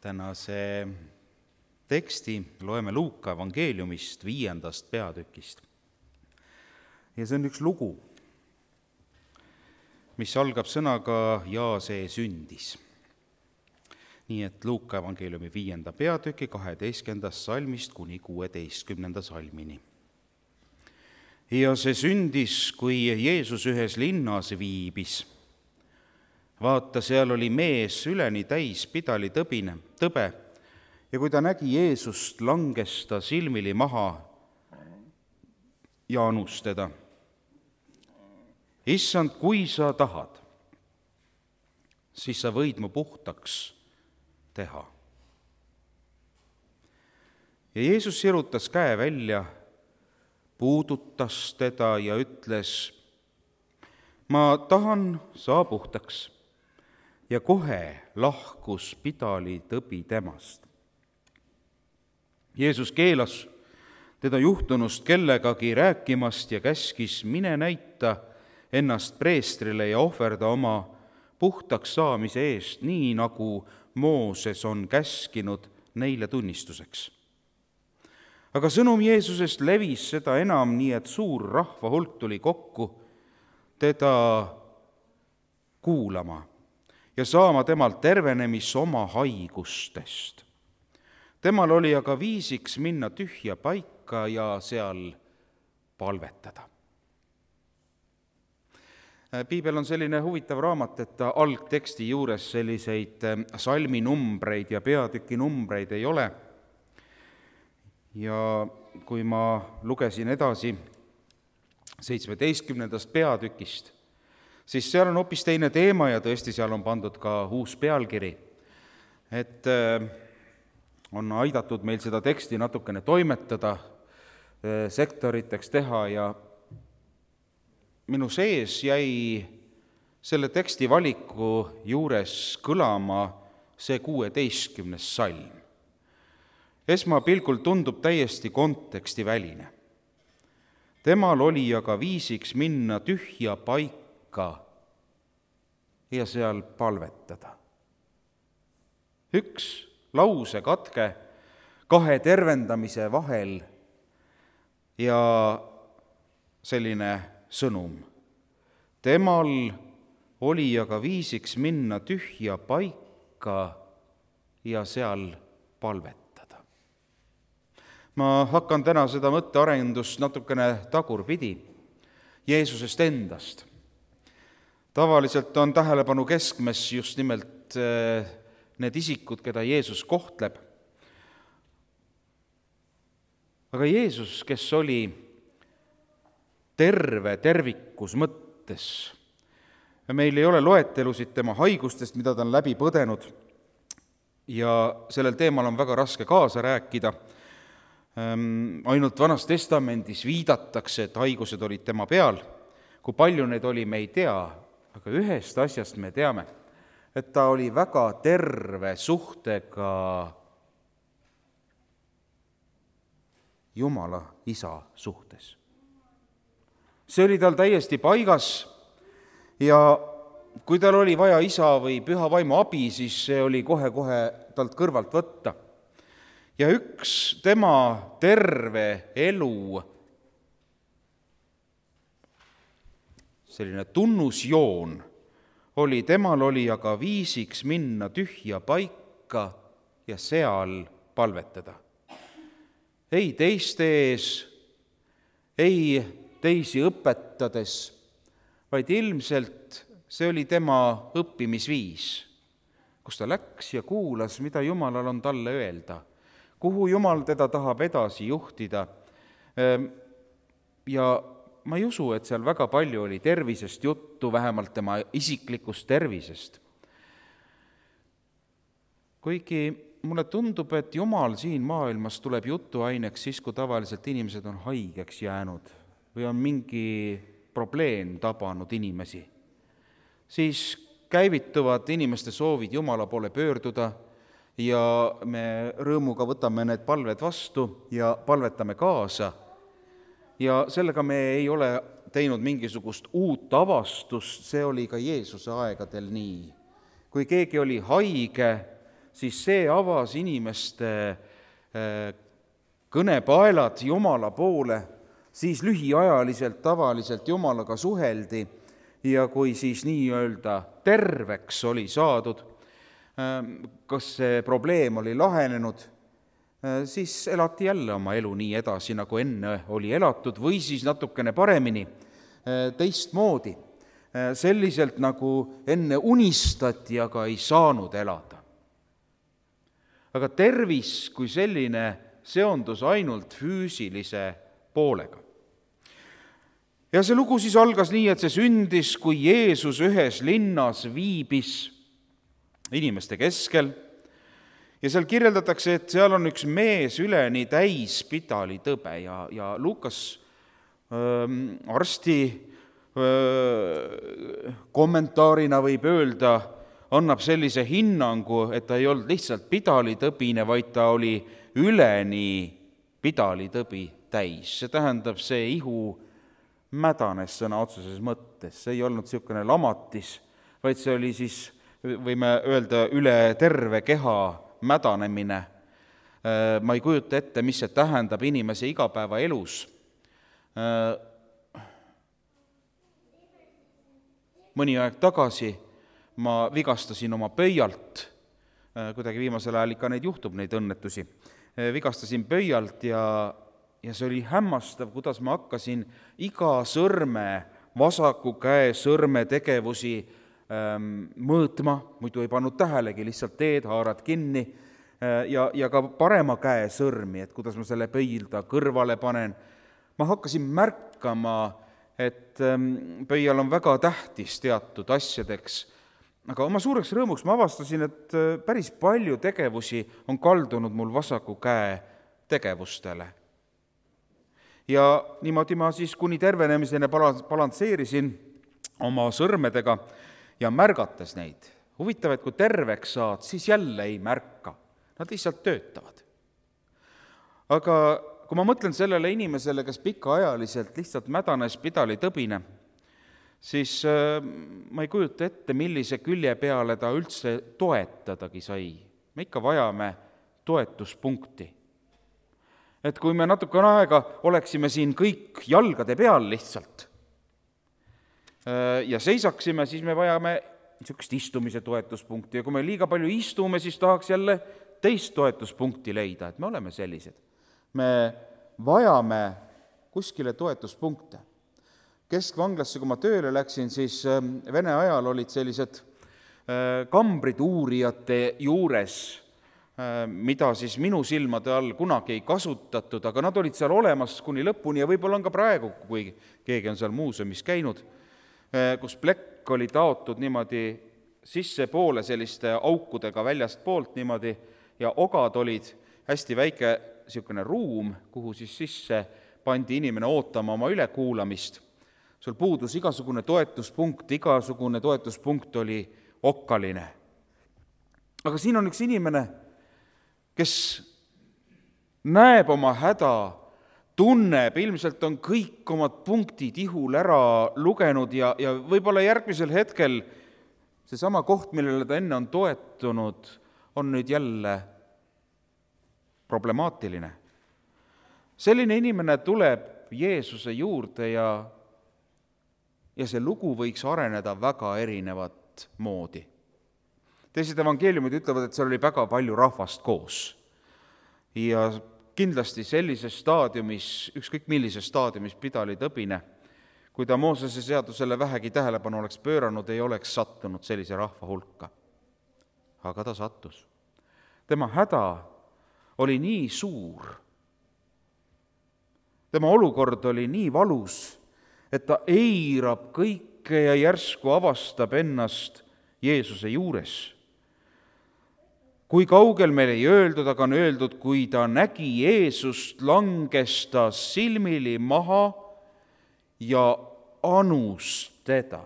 Tänase teksti loeme Luuka evangeeliumist 5. peatükist. Ja see on üks lugu, mis algab sõnaga ja see sündis. Nii et Luuka evangeeliumi 5. peatüki 12. salmist kuni 16. salmini. Ja see sündis, kui Jeesus ühes linnas viibis. Vaata, seal oli mees üleni täis pidalitõbe ja kui ta nägi Jeesust, langes ta silmili maha ja anus teda. Issand, kui sa tahad, siis sa võid mu puhtaks teha. Ja Jeesus sirutas käe välja, puudutas teda ja ütles, ma tahan, saa puhtaks. Ja kohe lahkus pidalitõbi temast. Jeesus keelas teda juhtunust kellegagi rääkimast ja käskis, mine näita ennast preestrile ja ohverda oma puhtaks saamise eest, nii nagu Mooses on käskinud neile tunnistuseks. Aga sõnum Jeesusest levis seda enam, nii et suur rahva hulk tuli kokku teda kuulama ja saama temalt tervenemis oma haigustest. Temal oli aga viisiks minna tühja paika ja seal palvetada. Piibel on selline huvitav raamat, et algteksti juures selliseid salminumbreid ja peatükinumbreid ei ole. Ja kui ma lugesin edasi 17. peatükist, siis seal on hoopis teine teema ja tõesti seal on pandud ka uus pealkiri, et on aidatud meil seda teksti natukene toimetada, sektoriteks teha ja minu sees jäi selle teksti valiku juures kõlama see 16. salm. Esmapilgul tundub täiesti kontekstiväline. Temal oli aga viisiks minna tühja paika ja seal palvetada. Üks lausekatke kahe tervendamise vahel ja selline sõnum. Temal oli aga viisiks minna tühja paika ja seal palvetada. Ma hakkan täna seda mõttearendust natukene tagurpidi Jeesusest endast. Tavaliselt on tähelepanu keskmes just nimelt need isikud, keda Jeesus kohtleb. Aga Jeesus, kes oli tervikus mõttes, meil ei ole loetelusid tema haigustest, mida ta on läbi põdenud ja sellel teemal on väga raske kaasa rääkida. Ainult Vanas Testamendis viidatakse, et haigused olid tema peal. Kui palju neid oli, me ei tea, aga ühest asjast me teame, et ta oli väga terve suhtega Jumala Isa suhtes. See oli tal täiesti paigas ja kui tal oli vaja Isa või Püha Vaimu abi, siis see oli kohe talt kõrvalt võtta. Ja üks tema terve elu selline tunnusjoon oli, temal oli aga viisiks minna tühja paika ja seal palvetada. Ei teiste ees, ei teisi õpetades, vaid ilmselt see oli tema õppimisviis, kus ta läks ja kuulas, mida Jumalal on talle öelda, kuhu Jumal teda tahab edasi juhtida. Ja ma ei usu, et seal väga palju oli tervisest juttu, vähemalt tema isiklikust tervisest. Kuigi mulle tundub, et Jumal siin maailmas tuleb jutuaineks siis, kui tavaliselt inimesed on haigeks jäänud või on mingi probleem tabanud inimesi. Siis käivituvad inimeste soovid Jumala poole pöörduda ja me rõõmuga võtame need palved vastu ja palvetame kaasa. Ja sellega me ei ole teinud mingisugust uut avastust, see oli ka Jeesuse aegadel nii. Kui keegi oli haige, siis see avas inimeste kõnepaelad Jumala poole, siis lühiajaliselt tavaliselt Jumalaga suheldi ja kui siis nii-öelda terveks oli saadud, kas see probleem oli lahenenud, siis elati jälle oma elu nii edasi, nagu enne oli elatud, või siis natukene paremini, teistmoodi, selliselt nagu enne unistati, aga ei saanud elada. Aga tervis kui selline seondus ainult füüsilise poolega. Ja see lugu siis algas nii, et see sündis, kui Jeesus ühes linnas viibis inimeste keskel ja seal kirjeldatakse, et seal on üks mees üleni täis pidalitõbe ja Lukas arsti kommentaarina võib öelda, annab sellise hinnangu, et ta ei olnud lihtsalt pidalitõbine, vaid ta oli üleni pidalitõbi täis. See tähendab, see ihu mädanes sõna otseses mõttes, see ei olnud niisugune lamatis, vaid see oli siis, võime öelda, üle terve keha mädanemine. Ma ei kujuta ette, mis see tähendab inimese igapäevaelus. Mõni aeg tagasi ma vigastasin oma pöialt, kuidagi viimasel ajal ikka neid juhtub, neid õnnetusi, vigastasin pöialt ja see oli hämmastav, kuidas ma hakkasin iga sõrme, vasaku käe sõrme tegevusi mõõtma, muidu ei pannud tähelegi, lihtsalt teed, haarad kinni ja ka parema käe sõrmi, et kuidas ma selle pöialda kõrvale panen. Ma hakkasin märkama, et pöial on väga tähtis teatud asjadeks, aga oma suureks rõõmuks ma avastasin, et päris palju tegevusi on kaldunud mul vasaku käe tegevustele. Ja niimoodi ma siis kuni tervenemiseni balansseerisin oma sõrmedega ja märgates neid. Huvitav, et kui terveks saad, siis jälle ei märka. Nad lihtsalt töötavad. Aga kui ma mõtlen sellele inimesele, kes pikaajaliselt lihtsalt mädanes pidalitõbine, siis ma ei kujuta ette, millise külje peale ta üldse toetadagi sai. Me ikka vajame toetuspunkti. Et kui me natukene aega oleksime siin kõik jalgade peal lihtsalt ja seisaksime, siis me vajame niisugust istumise toetuspunkti ja kui me liiga palju istume, siis tahaks jälle teist toetuspunkti leida, et me oleme sellised. Me vajame kuskile toetuspunkte. Keskvanglasse, kui ma tööle läksin, siis Vene ajal olid sellised kambrid uurijate juures, mida siis minu silmade all kunagi ei kasutatud, aga nad olid seal olemas kuni lõpuni ja võib-olla on ka praegu, kui keegi on seal muuseumis käinud, kus plekk oli taotud niimoodi sissepoole selliste aukudega väljast poolt niimoodi ja ogad olid hästi väike niisugune ruum, kuhu siis sisse pandi inimene ootama oma ülekuulamist. Sul puudus igasugune toetuspunkt oli okkaline. Aga siin on üks inimene, kes näeb oma häda, tunneb, ilmselt on kõik omad punktid ihul ära lugenud ja võib-olla järgmisel hetkel seesama koht, millele ta enne on toetunud, on nüüd jälle problemaatiline. Selline inimene tuleb Jeesuse juurde ja see lugu võiks areneda väga erinevat moodi. Teised evangeeliumid ütlevad, et seal oli väga palju rahvast koos. Ja kindlasti sellises staadiumis, ükskõik millises staadiumis pidalitõbine, kui ta Moosese seadusele vähegi tähelepanu oleks pööranud, ei oleks sattunud sellise rahva hulka. Aga ta sattus. Tema häda oli nii suur. Tema olukord oli nii valus, et ta eirab kõike ja järsku avastab ennast Jeesuse juures. Kui kaugel meil ei öeldud, aga on öeldud, kui ta nägi Jeesust, langes ta silmili maha ja anus teda.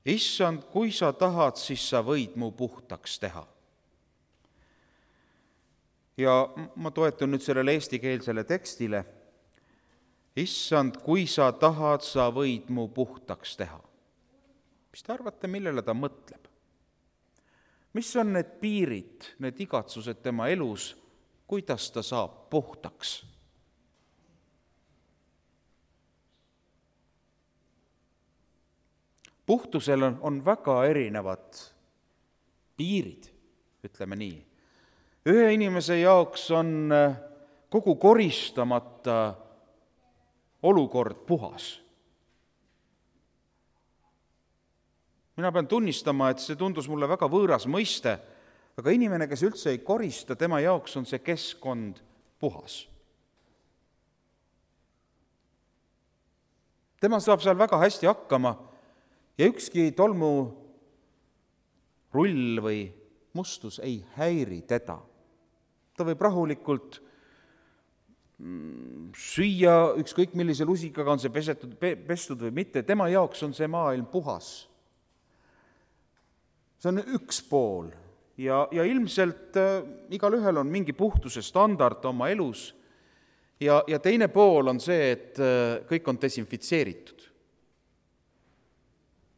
Issand, kui sa tahad, siis sa võid mu puhtaks teha. Ja ma toetun nüüd sellele eestikeelsele tekstile. Issand, kui sa tahad, sa võid mu puhtaks teha. Mis te arvate, millele ta mõtleb? mis on need piirid, need igatsused tema elus, kuidas ta saab puhtaks? Puhtusel on väga erinevad piirid, ütleme nii. Ühe inimese jaoks on kogu koristamata olukord puhas. Mina pean tunnistama, et see tundus mulle väga võõras mõiste, aga inimene, kes üldse ei korista, tema jaoks on see keskkond puhas. Tema saab seal väga hästi hakkama ja ükski tolmu rull või mustus ei häiri teda. Ta võib rahulikult süüa ükskõik millise lusikaga, on see pestud või mitte, tema jaoks on see maailm puhas. See on üks pool ja ilmselt igalühel on mingi puhtuse standard oma elus ja teine pool on see, et kõik on desinfitseeritud.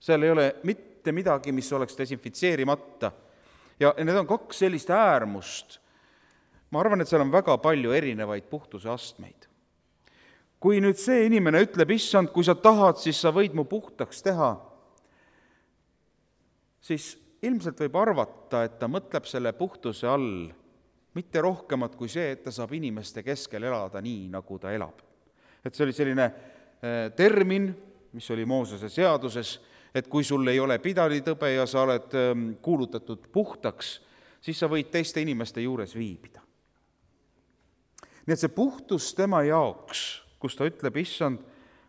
Seal ei ole mitte midagi, mis oleks desinfitseerimata. Ja need on kaks sellist äärmust. Ma arvan, et seal on väga palju erinevaid puhtuse astmeid. Kui nüüd see inimene ütleb, issand, kui sa tahad, siis sa võid mu puhtaks teha, siis ilmselt võib arvata, et ta mõtleb selle puhtuse all mitte rohkemat kui see, et ta saab inimeste keskel elada nii, nagu ta elab. Et see oli selline termin, mis oli Moosese seaduses, et kui sul ei ole pidalitõbe ja sa oled kuulutatud puhtaks, siis sa võid teiste inimeste juures viibida. Nii et see puhtus tema jaoks, kus ta ütleb, issand,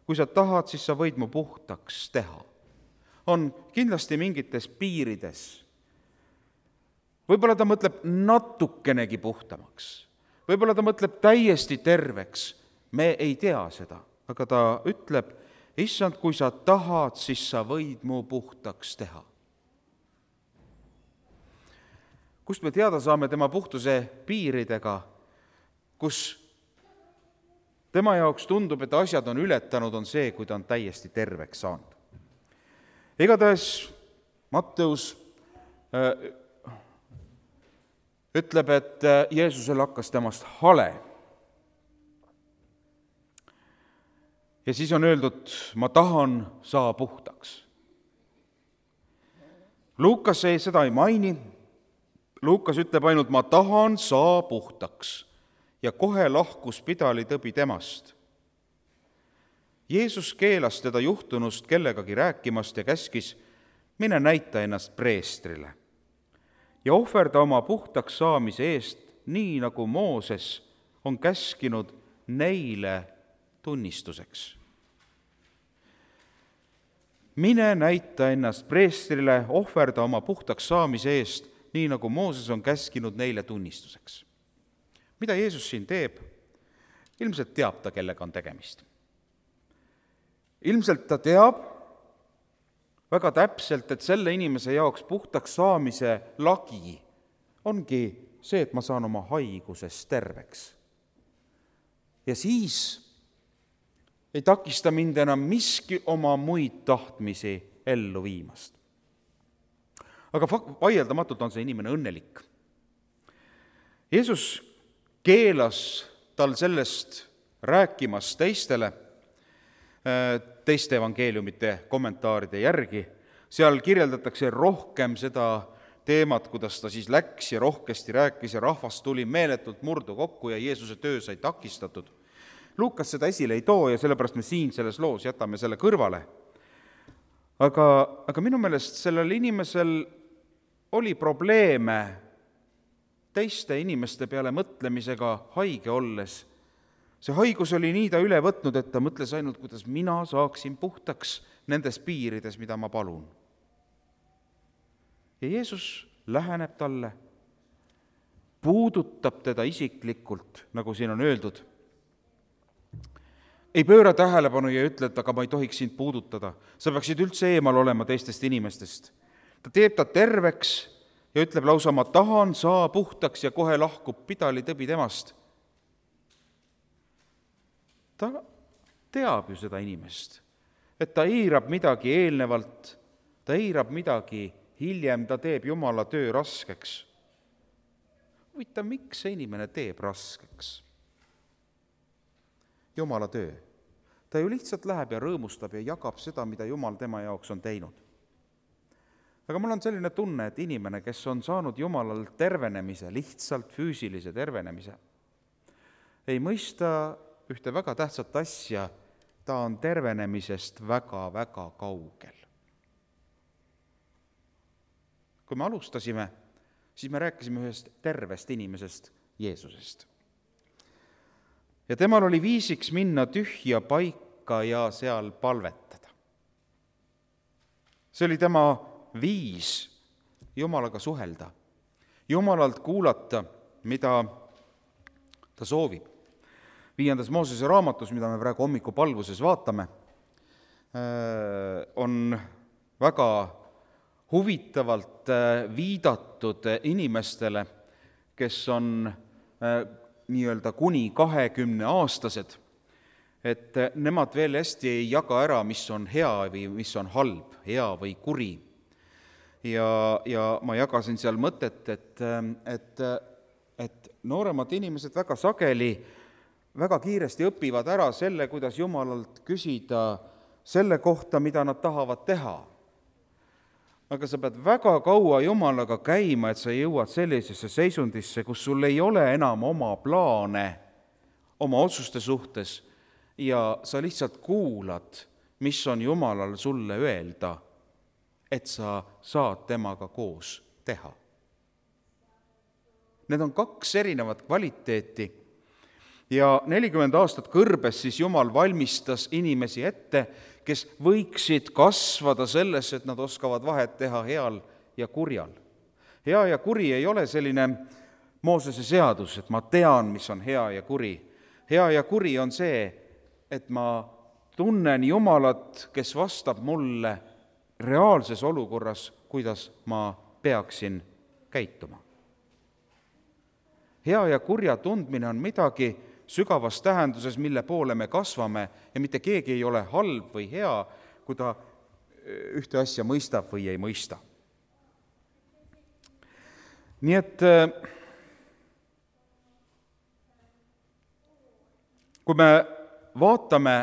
kui sa tahad, siis sa võid mu puhtaks teha, on kindlasti mingites piirides. Võib-olla ta mõtleb natukenegi puhtamaks, võib-olla ta mõtleb täiesti terveks, me ei tea seda, aga ta ütleb, issand, kui sa tahad, siis sa võid mu puhtaks teha. Kust me teada saame tema puhtuse piiridega, kus tema jaoks tundub, et asjad on ületanud, on see, kui ta on täiesti terveks saanud. Igatahes Matteus ütleb, et Jeesusel hakkas temast hale. Ja siis on öeldud, ma tahan, saa puhtaks. Luukas seda ei maini. Luukas ütleb ainult, ma tahan, saa puhtaks. Ja kohe lahkus pidalitõbi temast. Jeesus keelas teda juhtunust kellegagi rääkimast ja käskis, mine näita ennast preestrile ja ohverda oma puhtaks saamise eest, nii nagu Mooses on käskinud neile tunnistuseks. Mine näita ennast preestrile, ohverda oma puhtaks saamise eest, nii nagu Mooses on käskinud neile tunnistuseks. Mida Jeesus siin teeb? Ilmselt teab ta, kellega on tegemist. Ilmselt ta teab väga täpselt, et selle inimese jaoks puhtaks saamise lagi ongi see, et ma saan oma haigusest terveks. Ja siis ei takista mind enam miski oma muid tahtmisi ellu viimast. Aga vaieldamatult on see inimene õnnelik. Jeesus keelas tal sellest rääkimast teistele, teiste evangeeliumite kommentaaride järgi. Seal kirjeldatakse rohkem seda teemat, kuidas ta siis läks ja rohkesti rääkis ja rahvas tuli meeletult murdu kokku ja Jeesuse töö sai takistatud. Luukas seda esile ei too ja sellepärast me siin selles loos jätame selle kõrvale. Aga minu meelest sellel inimesel oli probleeme teiste inimeste peale mõtlemisega haige olles. See haigus oli nii ta üle võtnud, et ta mõtles ainult, kuidas mina saaksin puhtaks nendes piirides, mida ma palun. Ja Jeesus läheneb talle, puudutab teda isiklikult, nagu siin on öeldud. Ei pööra tähelepanu ja ütle, et aga ma ei tohiks sind puudutada. Sa peaksid üldse eemal olema teistest inimestest. Ta teeb ta terveks ja ütleb lausa, ma tahan, saa puhtaks ja kohe lahkub pidalitõbi temast. Ta teab ju seda inimest, et ta eirab midagi eelnevalt, ta eirab midagi hiljem ta teeb Jumala töö raskeks. Huvitav, miks see inimene teeb raskeks Jumala töö? Ta ju lihtsalt läheb ja rõõmustab ja jagab seda, mida Jumal tema jaoks on teinud. Aga mul on selline tunne, et inimene, kes on saanud Jumalalt tervenemise, lihtsalt füüsilise tervenemise, ei mõista ühte väga tähtsat asja, ta on tervenemisest väga-väga kaugel. Kui me alustasime, siis me rääkisime ühest tervest inimesest, Jeesusest. Ja temal oli viisiks minna tühja paika ja seal palvetada. See oli tema viis Jumalaga suhelda, Jumalalt kuulata, mida ta soovib. 5. Moosese raamatus, mida me praegu hommikupalvuses vaatame, on väga huvitavalt viidatud inimestele, kes on nii-öelda kuni 20-aastased, et nemad veel hästi ei jaga ära, mis on hea või mis on halb, hea või kuri. Ja ma jagasin seal mõtet, et nooremad inimesed väga sageli, väga kiiresti õpivad ära selle, kuidas Jumalalt küsida selle kohta, mida nad tahavad teha. Aga sa pead väga kaua Jumalaga käima, et sa jõuad sellisesse seisundisse, kus sul ei ole enam oma plaane oma otsuste suhtes ja sa lihtsalt kuulad, mis on Jumalal sulle öelda, et sa saad temaga koos teha. Need on 2 erinevat kvaliteeti ja 40 aastat kõrbes siis Jumal valmistas inimesi ette, kes võiksid kasvada sellesse, et nad oskavad vahet teha heal ja kurjal. Hea ja kuri ei ole selline Moosese seadus, et ma tean, mis on hea ja kuri. Hea ja kuri on see, et ma tunnen Jumalat, kes vastab mulle reaalses olukorras, kuidas ma peaksin käituma. Hea ja kurja tundmine on midagi sügavas tähenduses, mille poole me kasvame ja mitte keegi ei ole halb või hea, kui ta ühte asja mõistab või ei mõista. Nii et kui me vaatame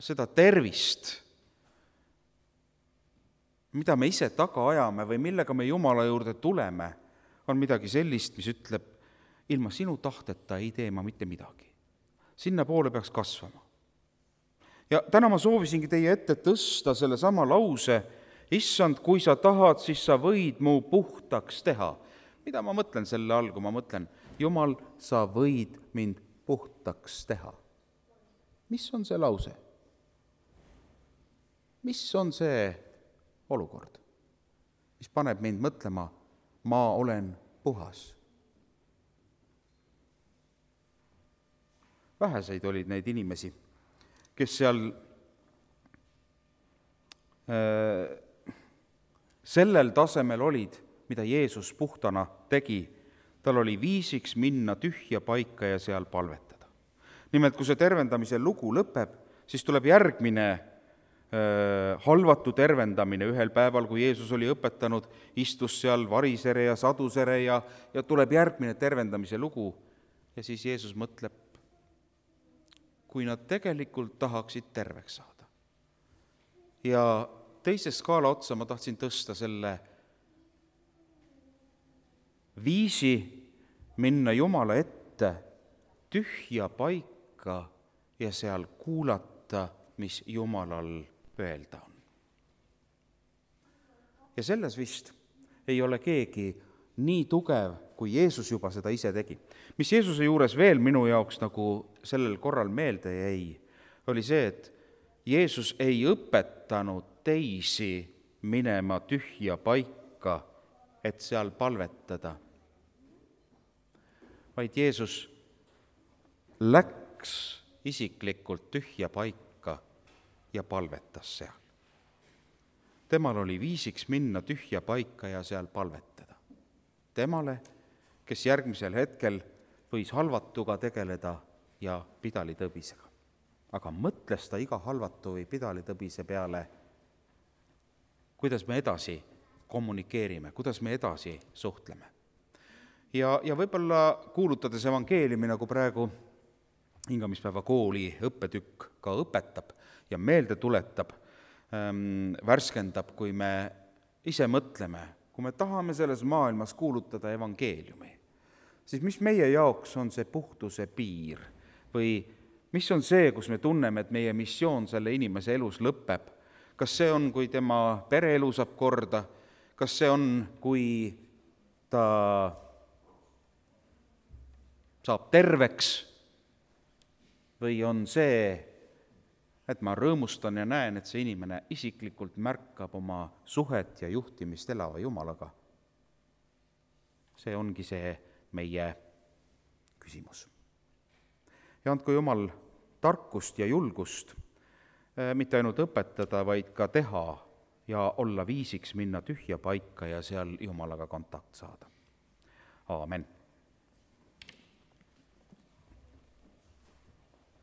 seda tervist, mida me ise taga ajame või millega me Jumala juurde tuleme, on midagi sellist, mis ütleb, ilma sinu tahteta ei tee ma mitte midagi. Sinna poole peaks kasvama. Ja täna ma soovisingi teie ette tõsta selle sama lause, issand, kui sa tahad, siis sa võid mu puhtaks teha. Mida ma mõtlen selle all, kui ma mõtlen, Jumal, sa võid mind puhtaks teha? Mis on see lause? Mis on see olukord, mis paneb mind mõtlema, ma olen puhas? Väheseid olid neid inimesi, kes seal sellel tasemel olid, mida Jeesus puhtana tegi. Tal oli viisiks minna tühja paika ja seal palvetada. Nimelt, kui see tervendamise lugu lõpeb, siis tuleb järgmine halvatu tervendamine ühel päeval, kui Jeesus oli õpetanud, istus seal varisere ja sadusere ja tuleb järgmine tervendamise lugu. Ja siis Jeesus mõtleb, kui nad tegelikult tahaksid terveks saada. Ja teise skaala otsa ma tahtsin tõsta selle viisi minna Jumala ette tühja paika ja seal kuulata, mis Jumalal öelda on. Ja selles vist ei ole keegi nii tugev, kui Jeesus juba seda ise tegi. Mis Jeesuse juures veel minu jaoks nagu sellel korral meelde jäi, oli see, et Jeesus ei õpetanud teisi minema tühja paika, et seal palvetada, vaid Jeesus läks isiklikult tühja paika ja palvetas seal. Temal oli viisiks minna tühja paika ja seal palvetada. Temale, kes järgmisel hetkel võis halvatuga tegeleda ja pidalitõbisega. Aga mõtles ta iga halvatu või pidalitõbise peale, kuidas me edasi kommunikeerime, kuidas me edasi suhtleme. Ja võib-olla kuulutades evangeeliumi, nagu praegu hingamispäeva kooli õppetükk ka õpetab ja meelde tuletab, värskendab, kui me ise mõtleme, kui me tahame selles maailmas kuulutada evangeeliumi, siis mis meie jaoks on see puhtuse piir või mis on see, kus me tunneme, et meie missioon selle inimese elus lõpeb? Kas see on, kui tema pereelu saab korda? Kas see on, kui ta saab terveks? Või on see, et ma rõõmustan ja näen, et see inimene isiklikult märkab oma suhet ja juhtimist elava Jumalaga? See ongi see meie küsimus. Ja andku Jumal tarkust ja julgust mitte ainult õpetada, vaid ka teha ja olla viisiks minna tühja paika ja seal Jumalaga kontakt saada. Aamen.